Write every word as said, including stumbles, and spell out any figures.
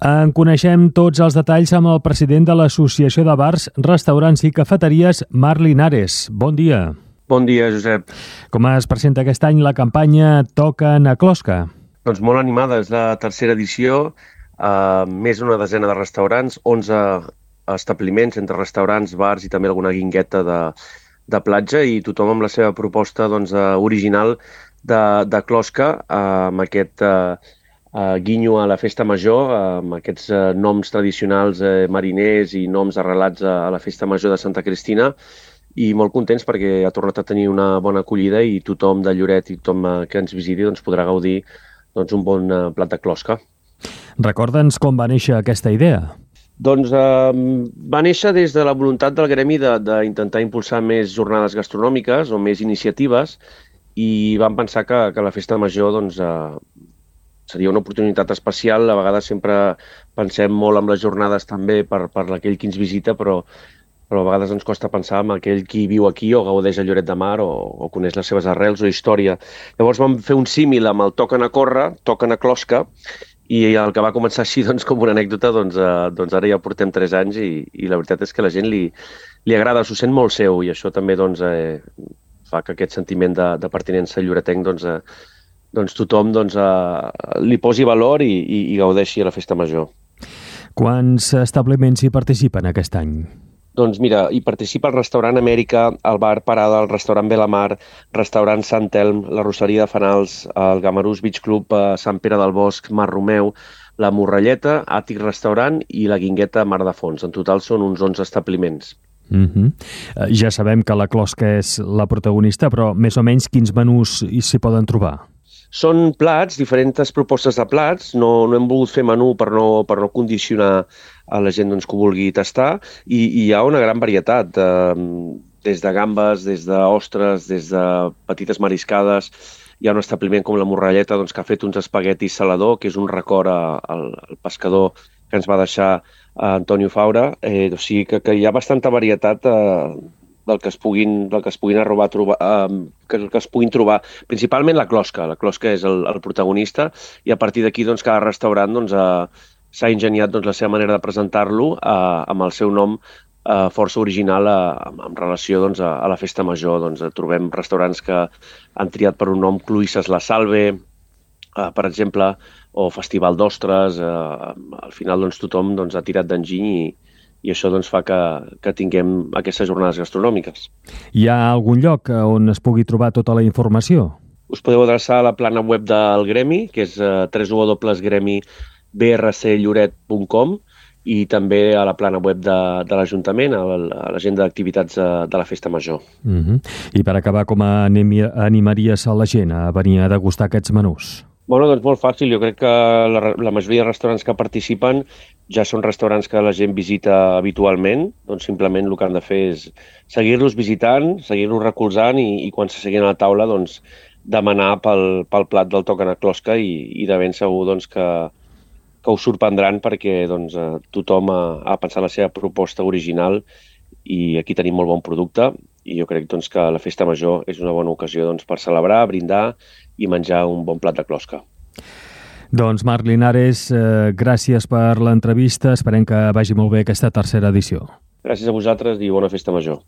En coneixem tots els detalls amb el president de l'Associació de Bars, Restaurants i Cafeteries, Marc Linares. Bon dia. Bon dia, Josep. Com es presenta aquest any la campanya Toquen a Closca? Doncs molt animada, és la tercera edició, eh, més d'una desena de restaurants, onze establiments entre restaurants, bars i també alguna guingueta de, de platja, i tothom amb la seva proposta doncs, original de, de closca, eh, amb aquest eh, eh, guinyo a la festa major, eh, amb aquests eh, noms tradicionals eh, mariners i noms arrelats a, a la festa major de Santa Cristina, i molt contents perquè ha tornat a tenir una bona acollida i tothom de Lloret i tothom eh, que ens visiti doncs, podrà gaudir doncs, un bon eh, plat de closca. Recorda'ns com va néixer aquesta idea. Doncs eh, va néixer des de la voluntat del gremi d'intentar impulsar més jornades gastronòmiques o més iniciatives, i vam pensar que, que la festa major doncs, eh, seria una oportunitat especial. A vegades sempre pensem molt en les jornades també per, per aquell qui ens visita, però, però a vegades ens costa pensar en aquell qui viu aquí o gaudeix a Lloret de Mar o, o coneix les seves arrels o història. Llavors vam fer un símil amb el Toquen a córrer, Toquen a closca, i el que va començar així doncs, com una anècdota, doncs, eh, doncs ara ja portem tres anys i, i la veritat és que la gent li, li agrada, s'ho sent molt seu, i això també doncs, eh, fa que aquest sentiment de, de pertinença lloretenc doncs, eh, doncs tothom doncs, eh, li posi valor i, i, i gaudeixi a la festa major. Quants establiments hi participen aquest any? Doncs mira, hi participa el restaurant Amèrica, el bar Parada, el restaurant Belamar, restaurant Sant Elm, la Rosseria de Fanals, el Gamarús Beach Club, Sant Pere del Bosc, Mar Romeu, la Morralleta, Àtic Restaurant i la Guingueta Mar de Fons. En total són uns onze establiments. Uh-huh. Ja sabem que la closca és la protagonista, però més o menys quins menús s'hi poden trobar? Són plats, diferents propostes de plats. No, no hem volgut fer menú per no, per no condicionar a la gent doncs, que ho vulgui tastar, i, i hi ha una gran varietat, eh, des de gambes, des d'ostres, des de petites mariscades. Hi ha un establiment com la Morralleta doncs, que ha fet uns espaguetis salador, que és un record al, al pescador que ens va deixar eh, Antonio Faura. Eh, o sigui que, que hi ha bastanta varietat eh, del que es puguin, del que es puguin arrobar, trobar, eh, que, que es puguin trobar. Principalment la closca. La closca és el, el protagonista, i a partir d'aquí doncs, cada restaurant doncs, eh, s'ha ingeniat doncs, la seva manera de presentar-lo eh, amb el seu nom eh, força original eh, en relació doncs, a, a la festa major. Doncs, eh, trobem restaurants que han triat per un nom Cluïsses La Salve, eh, per exemple, o Festival d'Ostres. Eh, al final doncs, tothom doncs, ha tirat d'enginy i, i això doncs, fa que, que tinguem aquestes jornades gastronòmiques. Hi ha algun lloc on es pugui trobar tota la informació? Us podeu adreçar a la plana web del Gremi, que és eh, w w w punt gremi b r c lloret punt com, i també a la plana web de, de l'Ajuntament, a l'agenda d'activitats de, de la Festa Major. Uh-huh. I per acabar, com animaries a la gent a venir a degustar aquests menús? Bueno, doncs molt fàcil. Jo crec que la, la majoria de restaurants que participen ja són restaurants que la gent visita habitualment. Doncs simplement el que han de fer és seguir-los visitant, seguir-los recolzant, i, i quan s'asseguin a la taula doncs, demanar pel, pel plat del Toquen a closca, i, i de ben segur doncs, que, que us sorprendran, perquè doncs, tothom ha, ha pensat la seva proposta original, i aquí tenim molt bon producte, i jo crec doncs, que la festa major és una bona ocasió doncs, per celebrar, brindar i menjar un bon plat de closca. Doncs Marc Linares, eh, gràcies per l'entrevista. Esperem que vagi molt bé aquesta tercera edició. Gràcies a vosaltres i bona festa major.